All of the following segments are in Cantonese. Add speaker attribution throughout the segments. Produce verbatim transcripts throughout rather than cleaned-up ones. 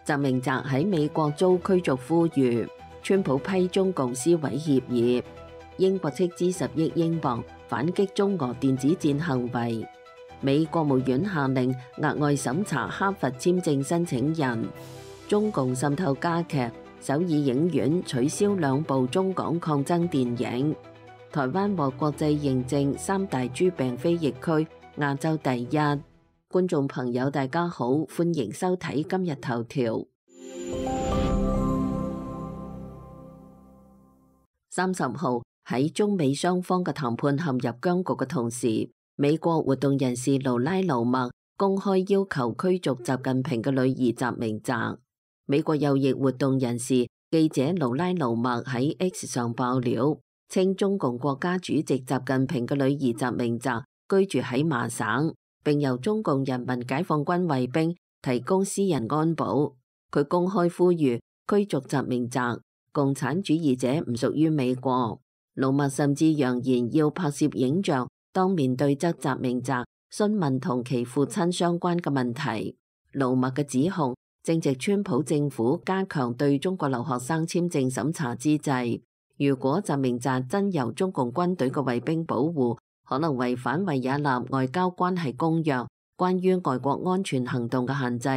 Speaker 1: 習明澤喺美國遭驅逐呼籲，川普批中共撕毀協議，英國斥資十億英鎊反擊中俄電子戰行為，美國務院下令額外審查哈佛簽證申請人，中共滲透加劇，首爾影院取消兩部中港抗爭電影，台灣獲國際認證三大豬病非疫區，亞洲第一。觀眾朋友大家好，歡迎收睇今日頭條。三十號喺中美雙方嘅談判陷入僵局嘅同時，美國活動人士盧拉盧默公開要求驅逐習近平嘅女兒習明澤。美國右翼活動人士記者盧拉盧默喺 X 上爆料，稱中共國家主席習近平嘅女兒習明澤居住喺麻省，並由中共人民解放軍衛兵提供私人安保。佢公開呼籲驅逐習明澤，共產主義者唔屬於美國。盧默甚至揚言要拍攝影像，當面對質習明澤，詢問同其父親相關嘅問題。盧默嘅指控正值川普政府加強對中國留學生簽證審查之際，如果習明澤真由中共軍隊嘅衛兵保護，可能違反維也納外交關係公約關於外國安全行動嘅限制，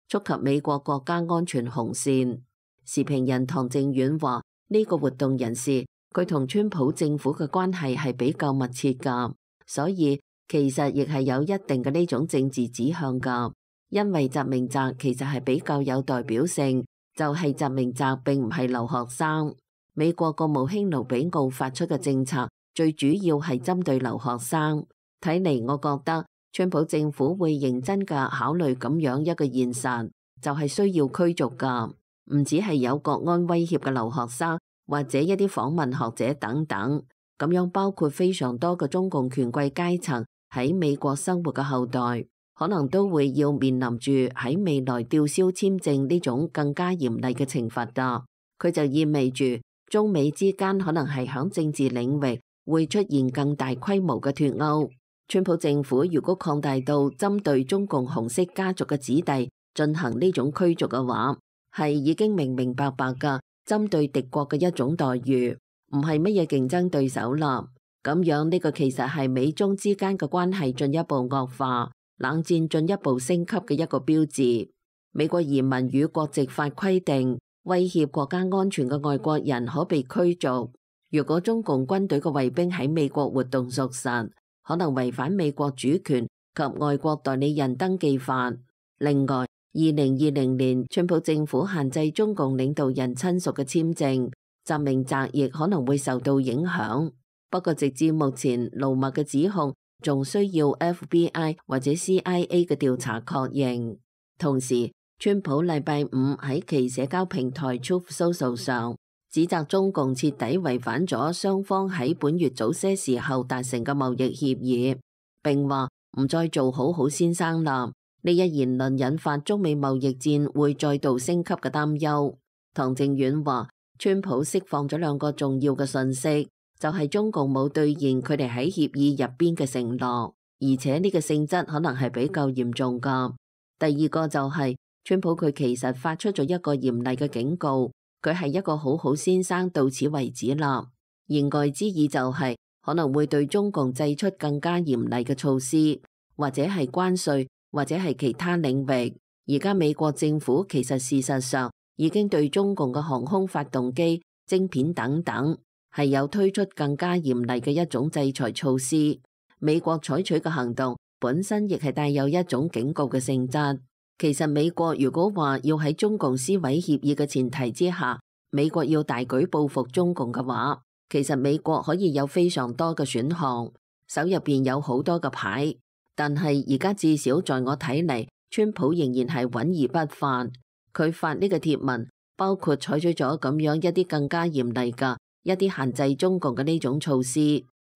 Speaker 1: 觸及美國國家安全紅線。時評人唐正遠話：呢、這個活動人士佢同川普政府嘅關係係比較密切㗎，所以其實亦係有一定嘅呢種政治指向㗎。因為習明澤其實係比較有代表性，就係、是、習明澤並唔係留學生。美國國務卿盧比奧發出嘅政策最主要係針對留學生。睇嚟我覺得川普政府會認真嘅考慮咁樣一個現實，就係、是、需要驅逐㗎，唔止係有國安威脅嘅留學生，或者一啲訪問學者等等，咁樣包括非常多嘅中共權貴階層喺美國生活嘅後代，可能都會要面臨住喺未來吊銷簽證呢種更加嚴厲嘅懲罰㗎。佢就意味住中美之間可能係響政治領域會出現更大規模嘅脫鈎。川普政府如果擴大到針對中共紅色家族嘅子弟進行呢種驅逐嘅話，係已經明明白白㗎針對敵國嘅一種待遇，唔係乜嘢競爭對手啦。咁樣呢個其實係美中之間嘅關係進一步惡化，冷戰進一步升級嘅一個標誌。美國移民與國籍法規定，威脅國家安全嘅外國人可被驅逐。如果中共軍隊嘅衛兵喺美國活動屬實，可能違反美國主權及外國代理人登記法。另外，二零二零年川普政府限制中共領導人親屬嘅簽證，習明澤亦可能會受到影響。不過直至目前，盧默嘅指控仲需要 F B I 或者 C I A 嘅調查確認。同時，川普禮拜五喺其社交平台 Truth Social 上指責中共徹底違反咗雙方喺本月早些時候達成嘅貿易協議，並話唔再做好好先生啦。呢一言論引發中美貿易戰會再度升級嘅擔憂。唐正遠話，川普釋放咗兩個重要嘅信息，就係、是、中共冇兌現佢哋喺協議入邊嘅承諾，而且呢個性質可能係比較嚴重噶。第二個就係、是、川普佢其實發出咗一個嚴厲嘅警告。佢係一個好好先生，到此為止啦。言外之意就係、是、可能會對中共祭出更加嚴厲嘅措施，或者係關稅，或者係其他領域。而家美國政府其實事實上已經對中共嘅航空發動機、晶片等等係有推出更加嚴厲嘅一種制裁措施。美國採取嘅行動本身亦係帶有一種警告嘅性質。其實美國如果話要喺中共撕毀協議嘅前提之下，美國要大舉報復中共嘅話，其實美國可以有非常多嘅選項，手入邊有好多嘅牌。但係而家至少在我睇嚟，川普仍然係穩而不發。佢發呢個貼文，包括採取咗咁樣一啲更加嚴厲嘅一啲限制中共嘅呢種措施。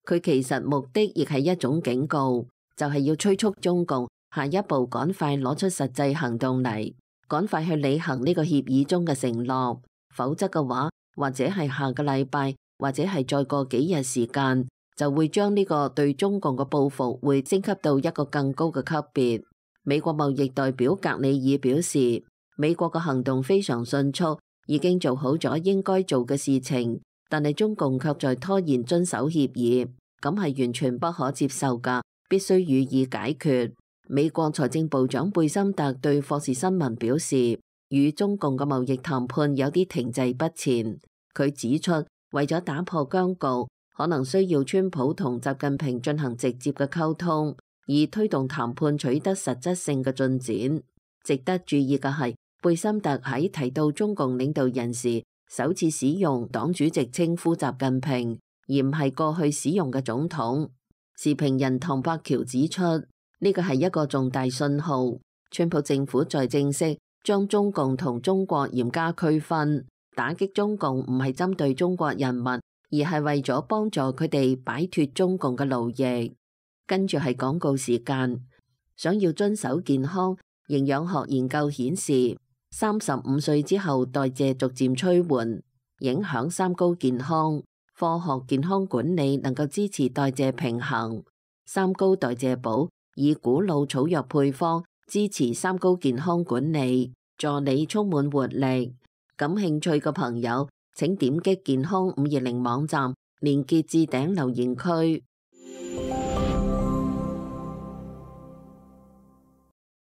Speaker 1: 佢其實目的亦係一種警告，就係要催促中共下一步趕快攞出實際行動嚟，趕快去履行呢個協議中嘅承諾，否則嘅話，或者係下個禮拜，或者係再過幾日時間，就會將呢個對中共嘅報復會升級到一個更高嘅級別。美國貿易代表格里爾表示，美國嘅行動非常迅速，已經做好咗應該做嘅事情，但係中共卻在拖延遵守協議，咁係完全不可接受㗎，必須予以解決。美國財政部長貝森特對霍士新聞表示，與中共嘅貿易談判有啲停滯不前。佢指出，為咗打破僵局，可能需要川普同習近平進行直接嘅溝通，以推動談判取得實質性嘅進展。值得注意嘅係，貝森特喺提到中共領導人時，首次使用黨主席稱呼習近平，而唔係過去使用嘅總統。時評人唐伯橋指出，呢個係一個重大信號，川普政府在正式將中共同中國嚴加區分，打擊中共唔係針對中國人民，而係為咗幫助佢哋擺脫中共嘅奴役。跟住係廣告時間，想要遵守健康，營養學研究顯示，三十五歲之後代謝逐漸趨緩，影響三高健康。科學健康管理能夠支持代謝平衡。三高代謝寶以古老草藥配方支持三高健康管理，助你充滿活力。感興趣嘅朋友請點擊健康五二零網站連結置頂留言區。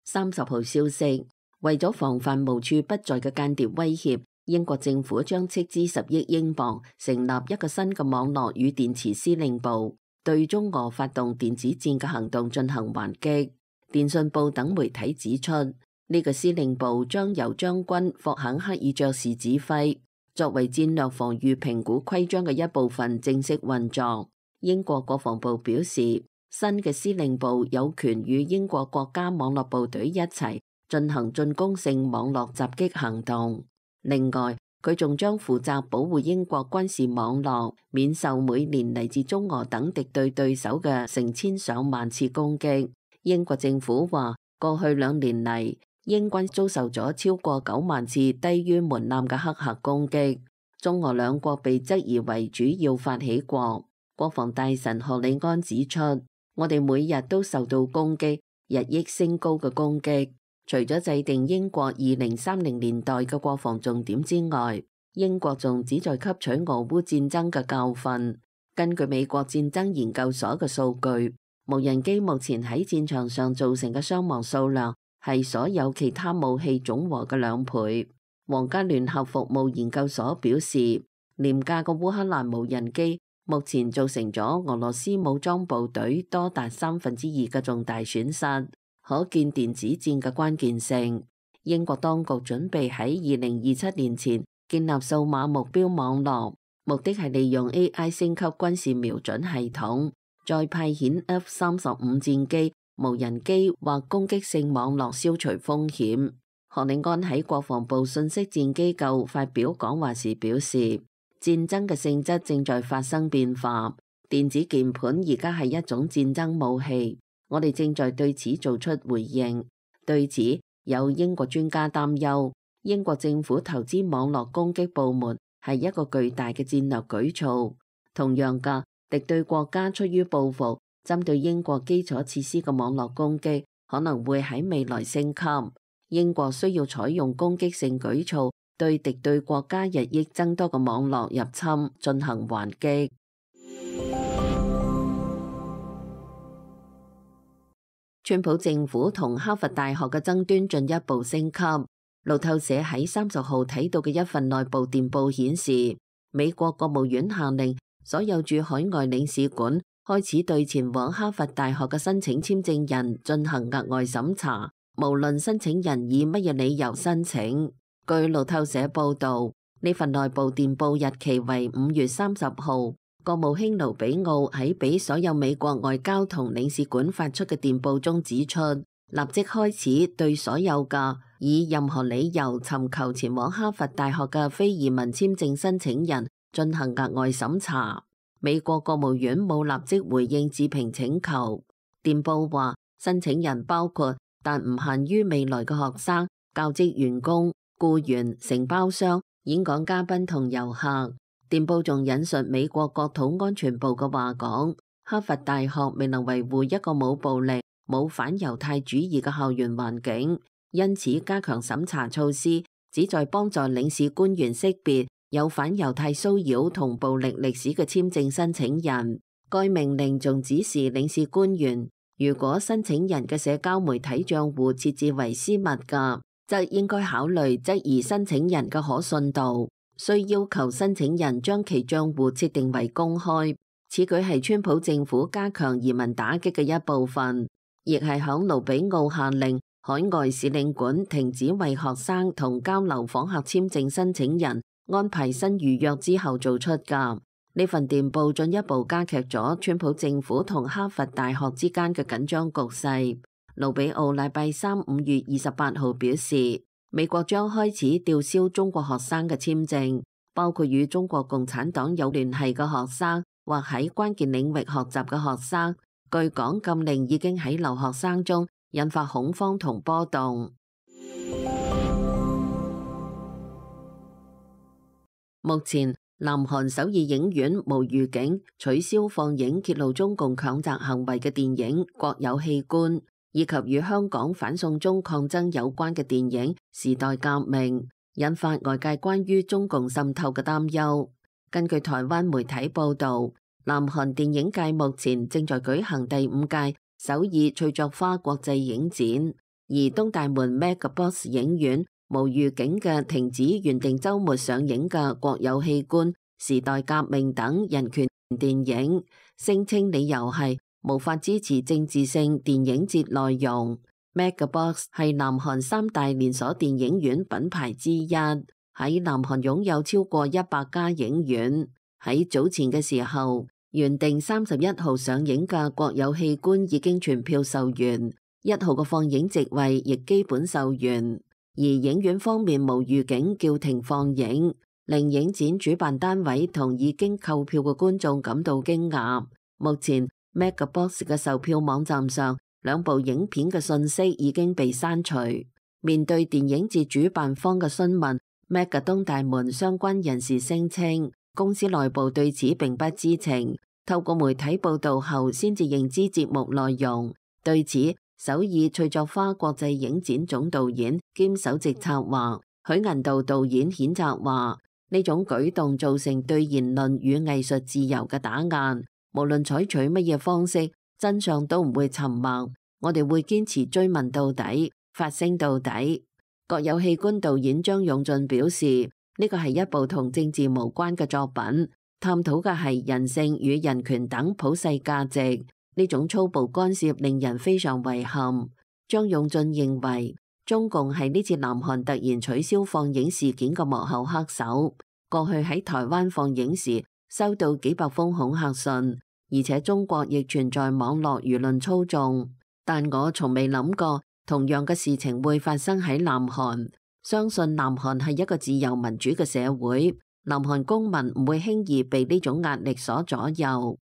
Speaker 1: 三十號消息，為咗防範無處不在嘅間諜威脅，英國政府將斥資十億英鎊成立一個新嘅網絡與電磁司令部，對中俄發動電子戰嘅行動進行還擊。電訊報等媒體指出，呢個司令部將由將軍霍肯克爾爵士指揮，作為戰略防禦評估規章嘅一部分正式運作。英國國防部表示，新嘅司令部有權與英國國家網絡部隊一齊進行進攻性網絡襲擊行動。另外，佢仲將負責保護英國軍事網絡，免受每年嚟自中俄等敵對對手嘅成千上萬次攻擊。英國政府話，過去兩年嚟，英軍遭受咗超過九萬次低於門檻嘅黑客攻擊，中俄兩國被質疑為主要發起國。國防大臣賀里安指出，我哋每日都受到攻擊，日益升高嘅攻擊。除咗制定英國二零三零年代嘅國防重點之外，英國仲旨在吸取俄烏戰爭嘅教訓。根據美國戰爭研究所嘅數據，無人機目前喺戰場上造成嘅傷亡數量係所有其他武器總和嘅兩倍。皇家聯合服務研究所表示，廉價嘅烏克蘭無人機目前造成咗俄羅斯武裝部隊多達三分之二嘅重大損失。可見電子戰嘅關鍵性。英國當局準備喺二零二七年前建立數碼目標網絡，目的係利用 A I 升級軍事瞄準系統，再派遣 F 三十五戰機、無人機或攻擊性網絡消除風險。賀里安喺國防部信息戰機構發表講話時表示，戰爭嘅性質正在發生變化，電子鍵盤而家係一種戰爭武器。我哋正在對此做出回應。對此，有英國專家擔憂，英國政府投資網絡攻擊部門係一個巨大嘅戰略舉措。同樣嘅，敵對國家出於報復，針對英國基礎設施嘅網絡攻擊可能會喺未來升級。英國需要採用攻擊性舉措，對敵對國家日益增多嘅網絡入侵進行還擊。川普政府同哈佛大學嘅爭端進一步升級。路透社喺三十號睇到嘅一份內部電報顯示，美國國務院下令所有駐海外領事館開始對前往哈佛大學嘅申請簽證人進行額外審查，無論申請人以乜嘢理由申請。據路透社報導，呢份內部電報日期為五月三十號。國務卿盧比奧喺俾所有美國外交同領事館發出嘅電報中指出，立即開始對所有嘅以任何理由尋求前往哈佛大學嘅非移民簽證申請人進行額外審查。美國國務院冇立即回應置評請求。電報話，申請人包括但唔限於未來嘅學生、教職員工、僱員、承包商、演講嘉賓同遊客。電報仲引述美國國土安全部嘅話講，哈佛大學未能維護一個冇暴力、冇反猶太主義嘅校園環境，因此加強審查措施，旨在幫助領事官員識別有反猶太騷擾同暴力歷史嘅簽證申請人。該命令仲指示領事官員，如果申請人嘅社交媒體帳戶設置為私密嘅，則應該考慮質疑申請人嘅可信度，需要求申請人將其帳戶設定為公開。此舉係川普政府加強移民打擊嘅一部分，亦係響盧比奧下令海外使領館停止為學生同交流訪客簽證申請人安排新預約之後做出㗎。呢份電報進一步加劇咗川普政府同哈佛大學之間嘅緊張局勢。盧比奧禮拜三五月二十八號表示，美國將開始吊銷中國學生嘅簽證，包括與中國共產黨有聯繫嘅學生或喺關鍵領域學習嘅學生。據講，禁令已經喺留學生中引發恐慌同波動。目前，南韓首爾影院無預警取消放映揭露中共強襲行為嘅電影《國有器官》，以及與香港反送中抗爭有關嘅電影《時代革命》，引發外界關於中共滲透嘅擔憂。根據台灣媒體報導，南韓電影界目前正在舉行第五屆首爾翠作花國際影展，而東大門 Megabox 影院無預警嘅停止原定週末上映嘅《國有器官》、《時代革命》等人權電影，聲稱理由係無法支持政治性電影節內容。Megabox 係南韓三大連鎖電影院品牌之一，喺南韓擁有超過一百家影院。喺早前嘅時候，原定三十一號上映嘅《國有器官》已經全票售完，一號嘅放映席位亦基本售完。而影院方面無預警叫停放映，令影展主辦單位同已經購票嘅觀眾感到驚訝。目前 Megabox 嘅售票網站上，兩部影片嘅信息已經被刪除。面對電影節主辦方嘅詢問，Mega 東大門相關人士聲稱，公司內部對此並不知情，透過媒體報道後先至認知節目內容。對此，首爾翠作花國際影展總導演兼首席策劃許銀道導演譴責話，呢種舉動造成對言論與藝術自由嘅打壓，無論採取乜嘢方式，真相都唔會沉默，我哋會堅持追問到底，發聲到底。國有器官導演張勇俊表示，呢個係一部同政治無關嘅作品，探討嘅係人性與人權等普世價值。呢種粗暴干涉令人非常遺憾。張勇俊認為，中共係呢次南韓突然取消放映事件嘅幕後黑手。過去喺台灣放映時，收到幾百封恐嚇信，而且中國亦存在網絡輿論操縱。但我從未諗過同樣嘅事情會發生喺南韓。相信南韓係一個自由民主嘅社會，南韓公民唔會輕易被呢種壓力所左右。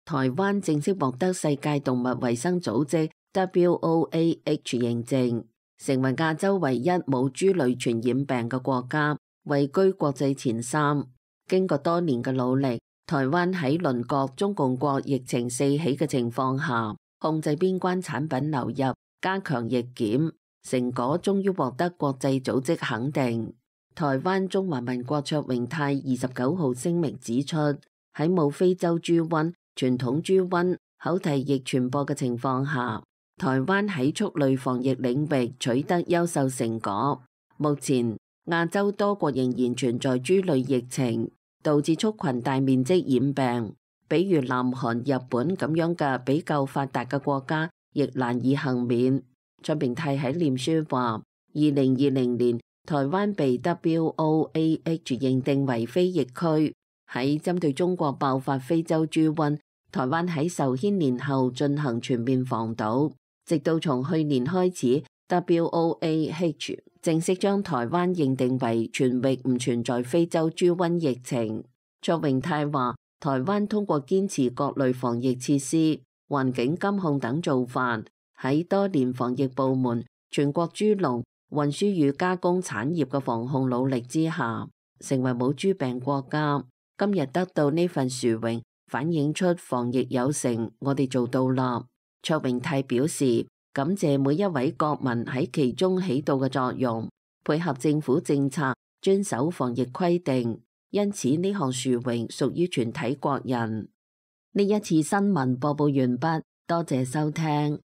Speaker 1: 台灣正式獲得世界動物衛生組織 W O A H 認證，成為亞洲唯一冇豬類傳染病嘅國家，位居國際前三。經過多年嘅努力，台灣喺鄰國中共國疫情四起嘅情況下，控制邊關產品流入，加強疫檢，成果終於獲得國際組織肯定。台灣中華民國卓榮泰二十九號聲明指出，喺冇非洲豬瘟、傳統豬瘟、口蹄疫傳播嘅情況下，台灣喺畜類防疫領域取得優秀成果。目前亞洲多國仍然存在豬類疫情，導致畜群大面積染病，比如南韓、日本咁樣嘅比較發達嘅國家，亦難以幸免。卓榮泰喺臉書話：二零二零年台灣被 W O A H 認定為非疫區，喺針對中國爆發非洲豬瘟，台灣喺受牽連後進行全面防堵，直到從去年開始 W O A H 正式將台灣認定為全域唔存在非洲豬瘟疫情。卓榮泰話，台灣通過堅持各類防疫設施、環境監控等做法，喺多年防疫部門、全國豬農、運輸與加工產業嘅防控努力之下，成為冇豬病國家。今日得到呢份殊榮，反映出防疫有成，我哋做到啦。卓榮泰表示，感謝每一位國民喺其中起到嘅作用，配合政府政策，遵守防疫規定，因此呢項殊榮屬於全體國人。呢一次新聞播報完畢，多謝收聽。